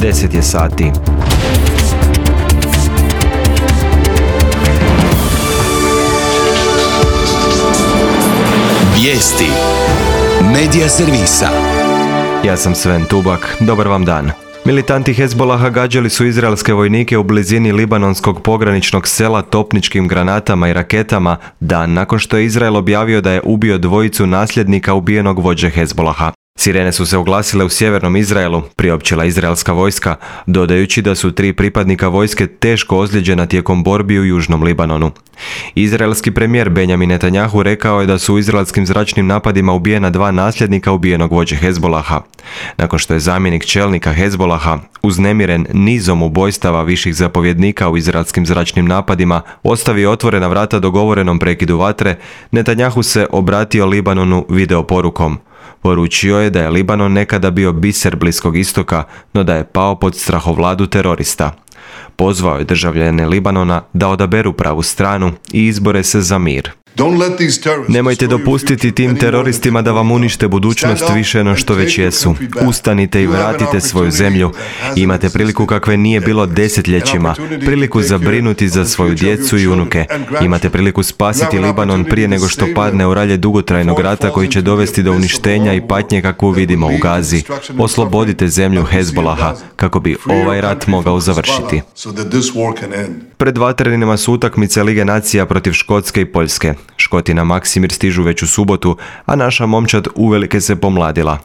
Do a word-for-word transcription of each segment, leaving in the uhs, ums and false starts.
deset je sati. Vijesti Medija servisa. Ja sam Sven Tubak, dobar vam dan. Militanti Hezbolaha gađali su izraelske vojnike u blizini libanonskog pograničnog sela topničkim granatama i raketama dan nakon što je Izrael objavio da je ubio dvojicu nasljednika ubijenog vođe Hezbolaha. Sirene su se oglasile u sjevernom Izraelu, priopćila izraelska vojska, dodajući da su tri pripadnika vojske teško ozlijeđena tijekom borbi u južnom Libanonu. Izraelski premijer Benjamin Netanjahu rekao je da su u izraelskim zračnim napadima ubijena dva nasljednika ubijenog vođe Hezbolaha. Nakon što je zamjenik čelnika Hezbolaha, uznemiren nizom ubojstava viših zapovjednika u izraelskim zračnim napadima, ostavio otvorena vrata dogovorenom prekidu vatre, Netanjahu se obratio Libanonu videoporukom. Poručio je da je Libanon nekada bio biser Bliskog istoka, no da je pao pod strahovladu terorista. Pozvao je državljane Libanona da odaberu pravu stranu i izbore se za mir. Nemojte dopustiti tim teroristima da vam unište budućnost više no što već jesu. Ustanite i vratite svoju zemlju. Imate priliku kakve nije bilo desetljećima, priliku zabrinuti za svoju djecu i unuke. Imate priliku spasiti Libanon prije nego što padne u ralje dugotrajnog rata koji će dovesti do uništenja i patnje kakvu vidimo u Gazi. Oslobodite zemlju Hezbolaha kako bi ovaj rat mogao završiti. Pred vatrenima su utakmice Lige nacija protiv Škotske i Poljske. Škoti na Maksimir stižu već u subotu, a naša momčad uvelike se pomladila.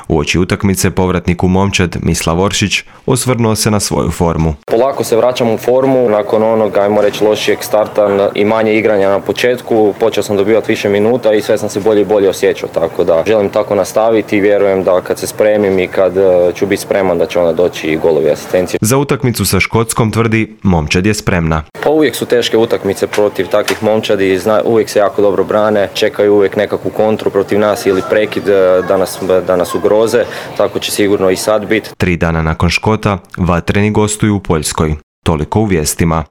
Uoči utakmice povratnik u momčad, Mislav Oršić, osvrnuo se na svoju formu. Polako se vraćam u formu, nakon onog, ajmo reći, lošijeg starta i manje igranja na početku, počeo sam dobivati više minuta i sve sam se bolje i bolje osjećao, tako da želim tako nastaviti i vjerujem da kad se spremim i kad ću biti spreman da će onda doći i golovi asistencije. Za utakmicu sa Škotskom tvrdi, momčad je spremna. Pa uvijek su teške utakmice protiv takvih momčadi, zna, uvijek se jako dobro brane, čekaju uvijek nekakvu kontru protiv nas ili prekid da nas, da nas ugroze, tako će sigurno i sad biti. Tri dana nakon Škota, vatreni gostuju u Poljskoj. Toliko u vijestima.